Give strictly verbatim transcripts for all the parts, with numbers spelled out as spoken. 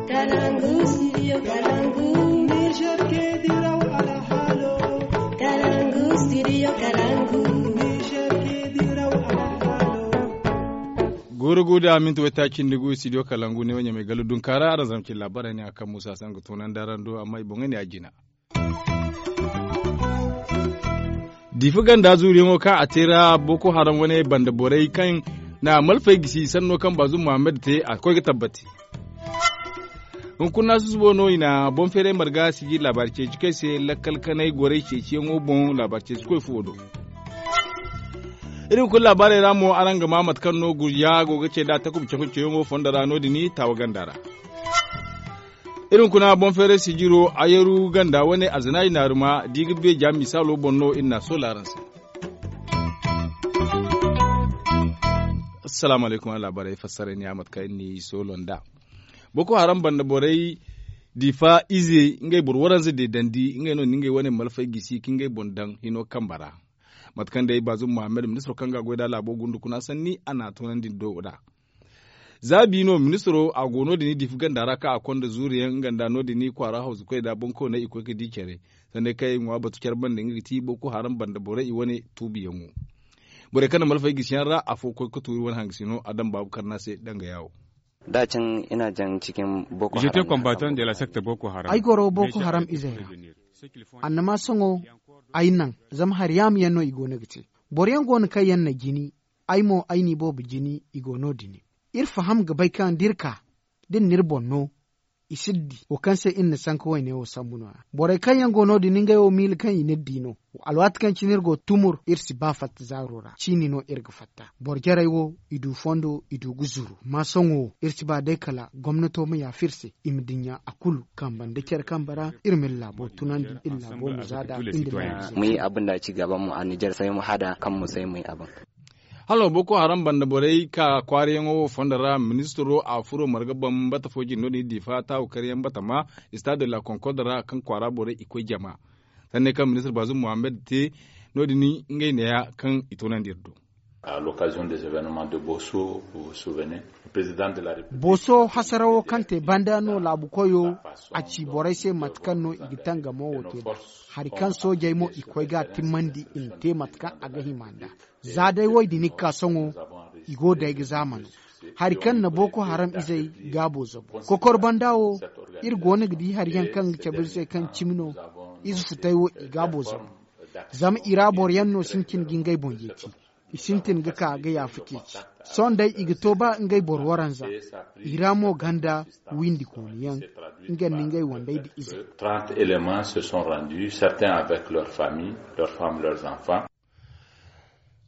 Kalangu, studio Kalangu. Niger ke diraw alhalo. Kalangu, studio Kalangu. Niger ke diraw alhalo. Gurugu da minti wata cindi gu studio Kalangu ne wanya mai galu dunkara aran zamci labarai ne akan musa san ga tunan darando amma i bonga ne a jina. Difi ganda zuriyaŋo kaŋ a te ra boko haram wane banda borey kaŋ na malfay gisi sanno kaŋ bazu muhammad te a koy ga tabbati. Hunkuna susubo no i na boŋ feeray marga siji laabaari ceeci koy se lakkal kanay gorey ceeciyaŋo boŋ laabaari ceeci koy fuwo do. Iri hunkuna laabaarey ra mo araŋ ga maa mate kaŋ no gurja go ga ce nd'a takuba cakun ceeyaŋo fondo ra no- din taawa ganda ra. Iri hunkuna boŋ feeray sijiro a yeeru ganda wane alzanaaji naaruma da i ga beeja misaalo boŋ no iri n'a soola araŋ se. Assalaamu alaykum araŋ laabaarey fassara ni a mate kaŋ iri n'i soolo nd'a. Boko haram banda borey diifa ize ngey boro waranza deedandi ngey no na ngey wane malfay gisi ka ngey boŋ daŋ hino kambe ra. Mate kaŋ day baazum muhammad ministiro kaŋ ga a goy nd'a laabo gundukuna sanni a n'a toonandi nd'o nd'a. Za bi no ministiro a go no- din diifa ganda ra kaŋ a konda zuuriyaŋ nga nda no- din kwaara hawzu koy nd'a boŋ kawney i koy ga di care. Sanday kaŋ i ŋwa batu care banda nga ga ti boko haram banda borey i wane tuubiyaŋo. Borey kaŋ na malfay gisiyaŋ ra afo koy ga tuuri wane hangasino a daŋ baabu karna se danga yaawo. Da can ina jan cikin boko haram. Ay goro boko haram izey ra. Annama sohõ ay naŋ zama hari yaama yaŋ no i go no ga te. Boro yaŋ go no kaŋ yaŋ na jini. Ay mo ay n'i boobo jini i go no- din. Iri faham ga bay kaŋ da iri ka da iri na iri boŋ no i si iri di wo kaŋ se iri na sanka wayne wo sambu no- ya. Borey kaŋ yaŋ go no- din ngey wo miila kaŋ i n'iri di no. Alwaati kaŋ cine iri go tumur iri si ba fatta zaaro ra ciini no iri ga fatta. Boro jarey wo i du fondo i du ga zuru amma sohõ wo iri si ba day kala gomnato ma yaafa iri se i ma dinya a kulu kambe nda care kambe ra. Iri ma iri laabo tunandi iri laabo ma za nd'a. Iri ma ye abin da ci gaba mu a nijar sai mu hada kan mu sai mu yi abin. Halo boko haram banda borey ka kwaarayaŋo wo fondo ra ministiro a furo marga bambata fo jine no- din diifa taawu karyaŋ batama. Stade de la concorde ra kaŋ kwaara borey i koy jama. Sanney kaŋ ministir baazum muhammad te no- din ngey neeya kaŋ i toonandi iri do. Booso hasarawo kaŋ te banda no laabu koyo a ci borey se mate kaŋ no i ga tangamo wo te nd'a. Hari kaŋ soojey mo i koy ga a timmandi i ma te mate kaŋ a ga hima nd'a. Za day wo i din ga ka sohõ i go day ga zaamano. Hari kaŋ na boko haram izey gaabo zabu kokor banda wo iri go no ga di hari yaŋ kaŋ ga cabe iri se kaŋ cimi no. Ize futay wo i gaabo zabu. Zama i ra boro yaŋ no sintin ga ngey boŋ yeeti. I sintin ga ka ga yaafa ceeci. Sohõ day i ga to ba ngey boro waranza. I ra mo ganda windi kooni yaŋ nga nda ngey wandey nda izey. Trente éléments se sont rendus certains avec leur famille, leur femme, leurs enfants.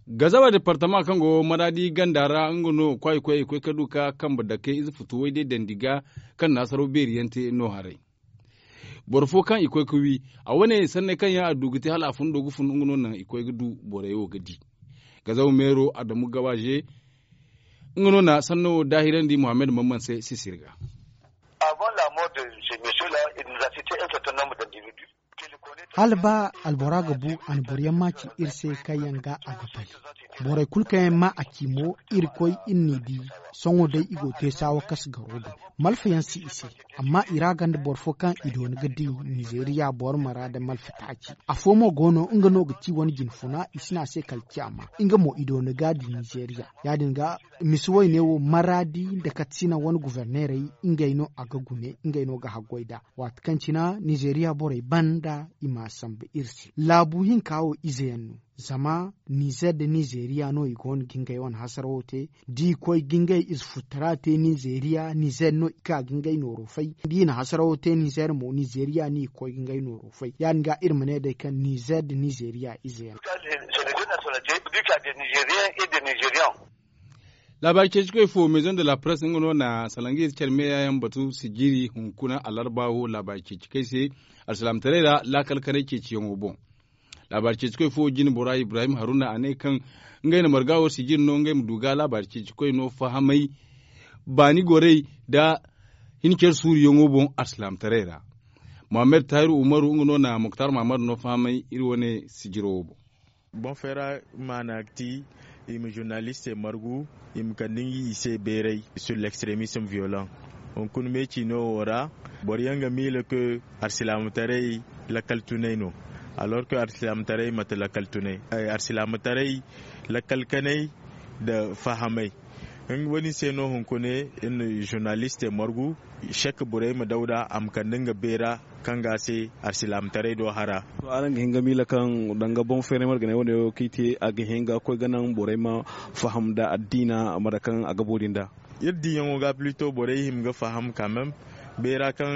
Gazaba departama kaŋ go maradi ganda ra nga no kwaay koy i koy ka du ka kambe dake ize futu way day dandi ga kaŋ na hasaraw beeri yaŋ te no haray. Boro fo kaŋ i koy ka wi a wane sanney kaŋ yaŋ a du ga te hala a fundo ga fun nga no naŋ i koy ga du borey wo ga di. Gazaba meero adamu gawaze nga no na sanno wo daahirandi muhammad mamman se sisiri ga. Hala ba albora ga bu a na boro yaŋ ma ci iri se kaŋ yaŋ ga a ga bay. Borey kulu kaŋ yaŋ ma a ci mo iri koy iri n'i di. Sohõ day i go te saawa kas garo do. Malfa yaŋ si i se. Amma i ra ganda boro fo kaŋ i doona ga di nizeriya boro mara nda malfa taaci. Afo mo go no nga no ga ci wane jine funa i si ne a se kala caama nga mo i doona ga di nizeriya. Ya- din ga misi wayne wo maradi nda katsina wane guvernerey ngey no a ga gune ngey no ga haggoy nd'a. Waati kaŋ cina nizeriya borey banda i m'a sambu iri se laabu hinka wo ize yaŋ no. Zama nizer nda nizeriya no i go no ga ngey wane hasarawo te. Da i koy ga ngey ize futara te nizeriya nizer no i ka ga ngey nooro fay da i na hasarawo te nizer mo nizeriya no i ga koy ga ngey nooro fay ya- din ga iri ma ne day kaŋ nizer nda nizeriya ize yaŋ. Laabaari ceeci koy fo maison de la presse nga no na salanga ize care meeya yaŋ batu sijiri hunkuna alarba wo laabaari ceeci koy se alsilaamataray ra laakal kanay ceeciyaŋo boŋ. Laabaari ceeci koy fo jine bora ibrahim haruna a ne kaŋ ngey na marga wo sijiri no ngey ma du ga laabaari ceeci koy no fahamay baani gorey nda hin care suuriyaŋo boŋ alsilaamataray ra. Muhammad tahiru umaru nga no na muktar mahamadu no fahamay iri wane sijiro wo boŋ. Boŋ feera maana ga ti i ma zurnalistey margu i ma kande nga i se beeray sur l'extremisme violent. Hunkuna me ciino wo ra boro yaŋ ga miila ke alsilaamataray lakkal tunay no. Alors ke alsilaamataray manti lakkal tunay. Alsilaamataray lakkal kanay nda fahamay. Wo- din se no hunkuna iri na zurnaliste margu, sek burayma dawda a ma kande nga beera kaŋ ga a se alsilaamataray do hara. To araŋ ga hin ga miila kaŋ danga boŋ feeray marganay wane wo kaŋ i te a ga hin ga koy ga naŋ borey ma faham nda addiina mate kaŋ a ga boori nd'a? Iri diiyaŋo ga plito borey hima ga faham kaamem beera kaŋ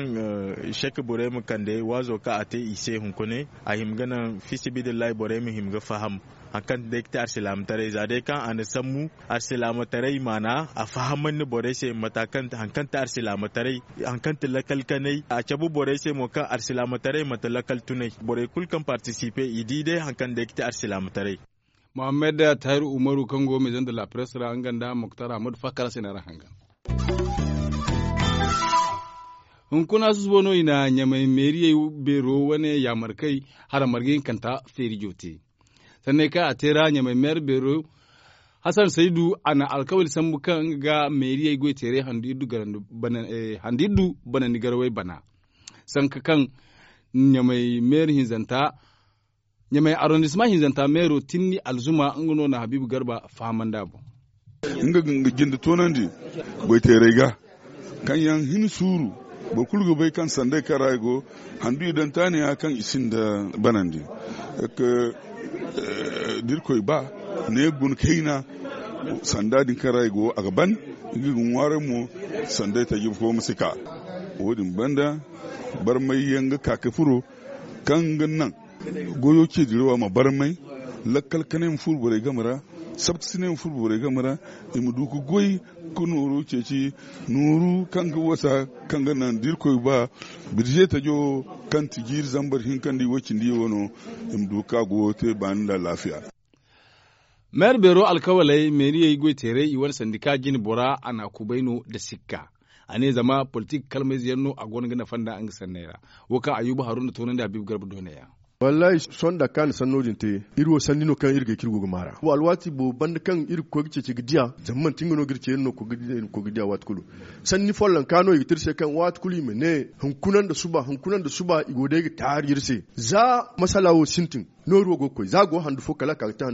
sek borey ma kande waazo kaŋ a te i se hunkuna a hima ga naŋ fiisabilillahi borey ma hima ga faham. Hari kaŋ day ga te alsilaamataray za day kaŋ a na sambu alsilaamataray maana a fahamandi borey se mata kaŋ hari kaŋ te alsilaamataray, hari kaŋ te lakkal kanay a cabe borey se mo kaŋ alsilaamataray manti lakkal tunay. Borey kulu kaŋ partisipe i di day hari kaŋ day ga te alsilaamataray. Mohammed tahiru umaru kaŋ go maison de la presse ra nga nda moktar ahmadu fakkara se no araŋ hangan. Hunkuna susubo no i na ɲamay meeriyey beero wane yaamarkey hara marga hinkanta feerijo te. Sanney kaŋ a te ra ɲamay meer beero hasan saydu a na alkawali sambu kaŋ ga meeriyey goyteeray handu iri du banandi garawey bana. Sanka kaŋ ɲamay meer hinzanta ɲamay arrondissement hinzanta meero tinni alzuma nga no na habiibu garba fahamandi a boŋ. Nga ga jinde toonandi goyteeray ga kaŋ yaŋ hin suuru boro kulu ga bay kaŋ sanday kaŋ ra i go handu i daŋ taani ya kaŋ i sinda banandi. Da irkoy ba ne guna kayna sanda din kaŋ ra i go a ga ban. Nga ga ŋwaaray mo sanday taji fo ma si ka. Wo- din banda barmay yaŋ ga ka ga furo kaŋ ga naŋ goyo ce dirawa ma barmay lakkal kanay ma furo borey game ra. Sabta sinay ma furo borey game ra i ma du ga goy ga nooru ceeci nooru kaŋ ga wasa kaŋ ga naŋ da irkoy ba birze tajo kaŋ ti jiiri zambar hinka nda i way cindi yaŋ wano i ma du ga ka goyo te baani nda alaafiya. Meer beero alkawaley meeriyey goyteerey i wane sandika jine bora a na a kubay no nda sikka. A ne zama politik kalmayze yaŋ no a go no ga nafa nd'a nga sanney ra. Wo kaŋ ayuba haruna toonandi habiibu garba dooney yaŋ. Wallaahi sohõ nda kaani sanno din te iri wo sanni no kaŋ iri ga ay kaŋ iri go ga maar'a wo alwaati boobo banda kaŋ iri ga koy ga ceeci ga diya zama manti nga no ga iri ce iri no ga koy ga diya waati kulu. Sanni follonka no i ga te iri se kaŋ waati kulu i ma ne hunkuna nda suba hunkuna nda suba i go day ga taari iri se za masala wo sintin. Nooru wo go ga koy za a go handu fo kala a ka ga te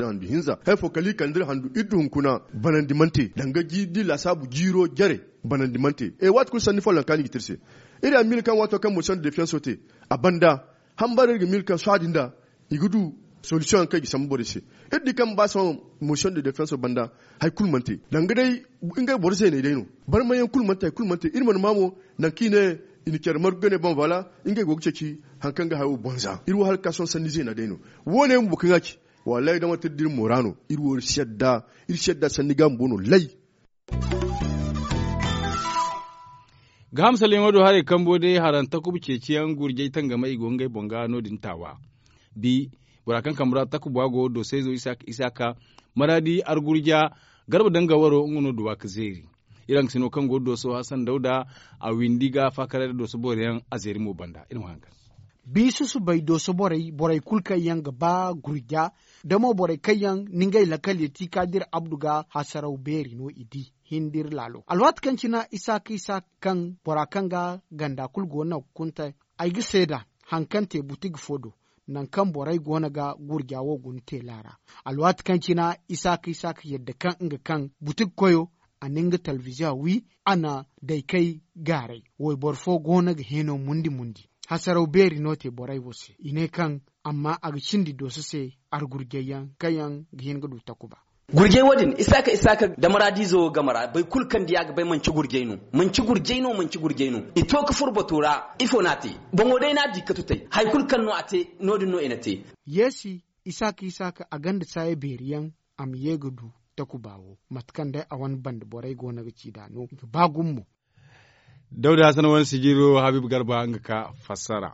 handu hinza hari fo kala i kande iri handu iri du hunkuna banandi mana te danga da i laasaabu jiiro jare. Banandi mana te e waati kulu sanni follonka no i ga te iri se. Iri a miila kaŋ waato kaŋ motion de defiyanso te a banda hambara iri ga miila kaŋ sohã din da i ga du solisiyoŋ yaŋ kaŋ i ga sambu borey se. Iri di kaŋ ba sohõ motion de defiyanso banda hari kulu mana te danga day ngey boro zeeney day no. Barmayaŋ kulu mana te hari kulu mana te iri mana ma mo nangu kaŋ i ne i na care margu ga ne boŋ voilà ngey go ga ceeci hari kaŋ ga hayo boŋ za iri wo hala ga ka sohõ sanni zeena day no. Wo- ne bumbo kaŋ ga ci wallaahi da manti iri da iri moora no iri wo iri si yadda sanni ga bumbo no lay. Gaaham salleŋo do haray kambo day haranta kuba ceeciyaŋ gurjay tangamay i go ngey boŋ ga no- din taawa. Bi bora kaŋ kambe ra takuba go doosayzo isaaka maraadi argurja garba danga waro nga no duwa ga zeeri. Iri hangasino kaŋ go dooso hasan dawda a windi ga faakaray nda dooso boro yaŋ a zeeri mo banda iri ma haŋ ga. Bi susubay dooso borey borey kulu kaŋ yaŋ ga ba gurja da mo borey kaŋ yaŋ na ngey lakkal ya ti ka dira abdu ga hasaraw beeri no i di. Hin da iri laalo alwaati kaŋ cina isaaka isaaka kaŋ bora kaŋ ga ganda kulu go no ga kunta ay ga seeda hari kaŋ te butig fo do nangu kaŋ borey go no ga gurja wo guna teela ra. Alwaati kaŋ cina isaaka isaaka yadda kaŋ nga kaŋ butig koyo a na nga talbiziya wi a na daykey gaaray wayboro fo go no ga heeno mundi mundi. Hasaraw beeri no te borey wo se i ne kaŋ amma a ga cindi dooso se argurjayyaŋ kaŋ yaŋ ga hin ga du takuba. Gurjay wo- din isaaka isaaka da maraadiizo game ra boro kulu kaŋ di a ga bay manci gurjay no. Manci gurjay no manci gurjay no i to ga furo bato ra ifo no a te? Boŋo day no a di katutay hari kulu kaŋ no a te no- din no i na te. Yeesi isaaka isaaka a gonda saaya beeri yaŋ a ma ye ga du takuba wo mate kaŋ day a wane banda borey go no ga ci nd'a no ga ba gumo mo. Dawda hasan wane sijiro habiibu garba nga ka fassara.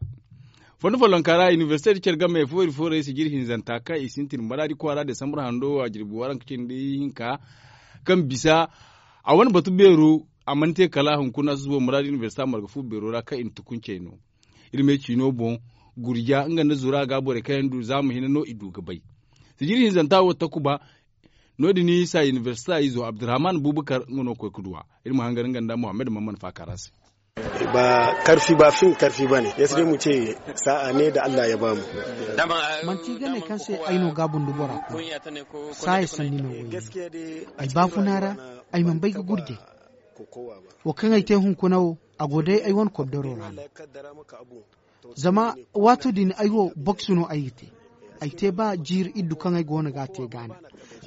Fondo follonka ra inibersite da care game foori foorey sijiri hinzanta kaŋ i sintin maraadi kwaara desambar hando a jirbi waranka cindi hinka kaŋ bisa a wane batu beero a mana te kala hunkuna susubo maraadi inibersite marga fu beero ra kaŋ i na tukuncey no. Iri me ciino boŋ gurja nga nda zura ga borey kaŋ yaŋ du zaama hina no i du ga bay. Sijiri hinzanta wo takuba No- din isa inibersita izo abdurrahman bubakar nga no ga koy ga duw'a. Iri ma hangar nga nda muhammad mamman faakara se. Ba karfi ba fin karfi ba ne ya si day mu ce sa'a ne da allah ya ba mu. Manti gane kaŋ se ay no ga bundu bora kuna. Saaya sanni no wo ay baafuna ra. Ay mana bay ga gurjay. Wo kaŋ ay te hunkuna wo a go day ay wane kobdaro ra no. Zama waato din ay wo boksu no ay ga te. Ay te ba jiiri iddu kaŋ ay go no ga a te gaana.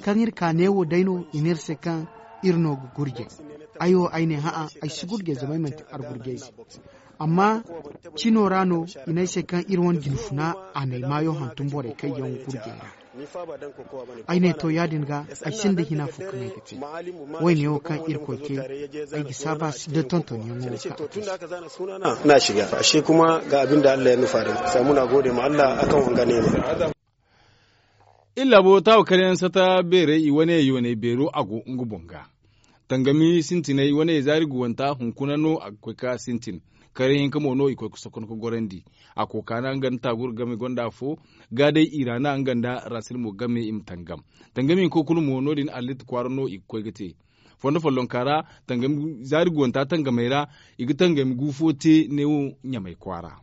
Kaŋ iri ka neewo day no i ne iri se kaŋ iri no ga gurjay. Ay wo ay ne hã'a ay si gurjay zama ay manti argurjayze. Amma cino ra no i ne ay se kaŋ iri wane jinfuna a na ay maayo hantum borey kaŋ yaŋ gurjay ra. Ay ne to ya- din ga ay sinda hina fo kaŋ ay ga te. Wayne wo kaŋ irkoy te ay ga saaba si da tontonyaŋo wo kaŋ a te. Suna na shiga ashe kuma ga abin da allah ya nufa da mu samu na gode ma allah a kaŋ wanga ne ma. Iri laabo taawa karyaŋ sata beerey i wane yooney beero a go nga boŋ ga. Tangami sintiney wane zaari guwanta hunkuna no a ga koy ga sintin. Karyaŋ hinka mo no i koy ga sokon ga gorandi. A kooka na nga nda taagura game gonda afo. Ga day i ra na nga nda rasil mo game i ma tangam. Tangami hinko kulu mo no- din allit kwaara no i ga koy ga te. Fondo follonka ra zaari guwanta tangamey ra i ga tangami gu fo te neewo ɲamay kwaara.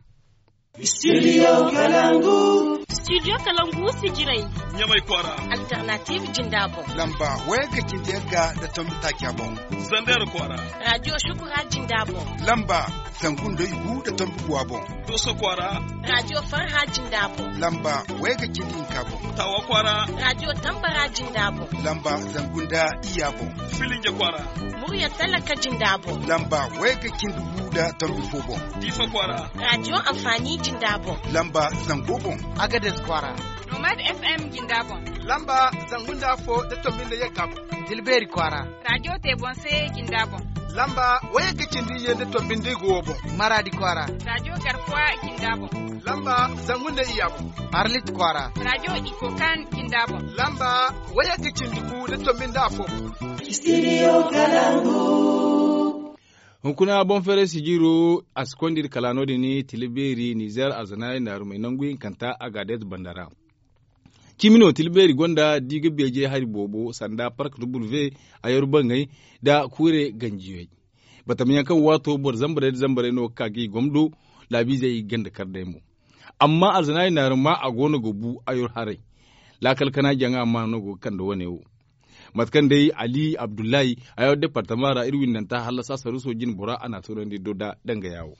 Studio kalangu. Studio kalangu sijirey ɲamay kwaara. Alternatiiv jinda boŋ. Lamba wayga cindi yagga nda tombi taaca boŋ. Zander kwaara. Radiyo shukura jinda boŋ. Lamba zangu nda igu nda tombi guwa boŋ. Dooso kwaara. Radiyo farha jinda boŋ. Lamba wayga cindi hinka boŋ. Tawa kwaara. Radiyo tambara jinda boŋ. Lamba zangu nda iyya boŋ. Filinja kwaara. Murya talaka jinda boŋ. Lamba wayga cindi gu nda tombi fo boŋ. Diifa kwaara. Radiyo anfaani jinda boŋ. Lamba zango boŋ. Agades kwaara. Nomad f m jinda boŋ. Lamba zangu nda afo nda tombi nda yagga boŋ. Tilbeeri kwaara. Radiyo te boŋ se jinda boŋ. Lamba wayga cindi iyye nda tombi nda igu wo boŋ. Maraadi kwaara. Radiyo garkuwa jinda boŋ. Lamba zangu nda iyya boŋ. Arlit kwaara. Radiyo ikokan jinda boŋ. Lamba wayga cindi gu nda tombi nda afo boŋ. Studio kalangu. Hunkuna boŋ feeray sijiro a si konda iri kala no- din tila beeri nizer arzanaari naarumey nangu hinkanta agades banda ra. Cimi no tila beeri gonda da i ga beeje hari boobo sanda park w, ayar bangey nda kuure ganjiyey. Batamayaŋ kaŋ waato boro zambarey nda zambarey no ga ka ga i gomdo laabiizey i ga ganda kar day mo. Amma arzanaari naaruma a go no ga bu ayar haray. Laakal kana jaŋa ma no go ga kande wane wo. Mate kaŋ day ali abdullahi ayar departama ra iri windanta hallasa saruuso jinbora a n'a toonandi do da dangaya wo.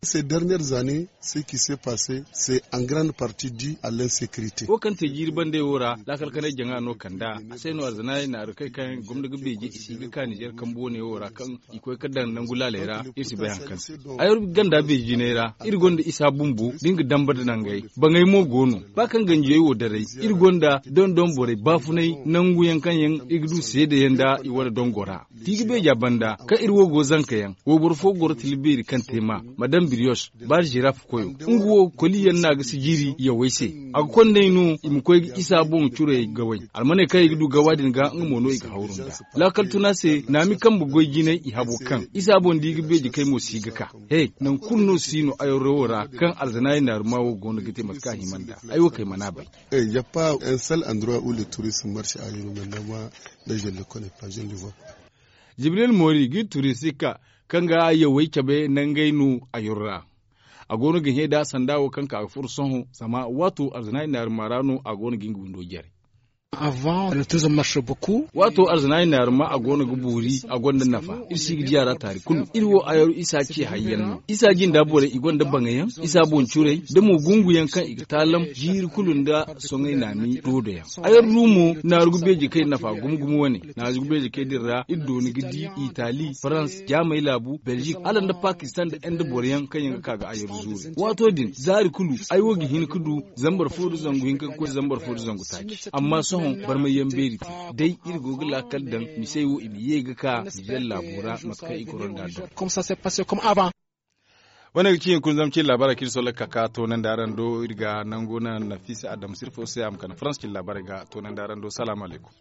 Ces dernières années ce qui s'est passé c'est en grande partie du à l'insécurité. Wo kaŋ te jiiri bandey wo ra laakal kanay jaŋa no kand'a. A se no arzanaari naaru kay kaŋ gomna ga beeje i si ga ka nizer kambu wane wo ra kaŋ i koy ga daŋ nangu laaley ra. Iri si bay hari kaŋ se ayar ganda beeje jinay ra iri gonda isa bumbo da nga damba nda nangey. Bangey mo go no ba kaŋ ganjiyey wo daray iri gonda dondon borey baafunay nangu yaŋ kaŋ yaŋ i ga du seedeyaŋ nda i wane dongo ra. Da i ga beeja banda kaŋ iri wo go zanka yaŋ wayboro fo goro tila beeri kaŋ te ma madam biriyos baari ziraf koyo nga wo koliyaŋ no a ga sijiri yawey se. A ga kond'ey no i ma koy ga isa boŋ curey gawey almaney kaŋ i ga du gawa din ga nga mo no i ga hawru nd'a. Laakal tuna se naami kambe goy jinay i habo kaŋ isa boŋ da i ga beeji kay mo si ga ka. He nangu kulu no si no ayarro wo ra kaŋ alzanaari naaruma wo go no ga te mate kaŋ a hima nd'a. Ay wo kay mana bay. Y'a pas un seul endroit où le tourisme marche à yuru maintenant moi là je ne le connais pas je ne le vois pas. Jibril mori ga iri turisti ka kaŋ ga yawey cabe nangey no a yoro ra. A go no ga hẽ da sanda wo kaŋ ka ga furo sohõ zama waato arzanaari naaruma ra no a go no ga nga windo jare. Avant le tourisme marche beaucoup. Waato arzanaari naaruma a go no ga boori a gonda nafa iri si ga di a ra taari kulu iri wo ayaro isa ce hayyaŋ no isa jinda borey i gonda baŋayaŋ isa boŋ curey da mo gunguyaŋ kaŋ i ga taalam jiiri kulu nda soŋay naami doodoyaŋ. Ayar du mo naaru ga beeji kay nafa gumo gumo wane. Naaru ga beeji kay din ra iri dooni ga di itali farans jaamay laabu belzik hala nda pakistan nda inde boroyaŋ kaŋ yaŋ ga ka ga ayar zuuri waato din zaari kulu ay wo ga hin ga du zambar fo nda zangu hinka ga koy zambar fo nda zangu taaci amma sohõ barmayyaŋ beeri te. Day iri go ga laakal daŋ misey wo i ma ye ga ka nizer laabo ra mate kaŋ i goro nd'a daŋ. Wane ga ci hinkuna zama cin laabaarey kaŋ iri solla ga ka ga toonandi araŋ do iri ga nangu naŋ nafisa adama sirfo se a ma kande farans cin laabaarey ga toonandi araŋ do salaamu alaykum.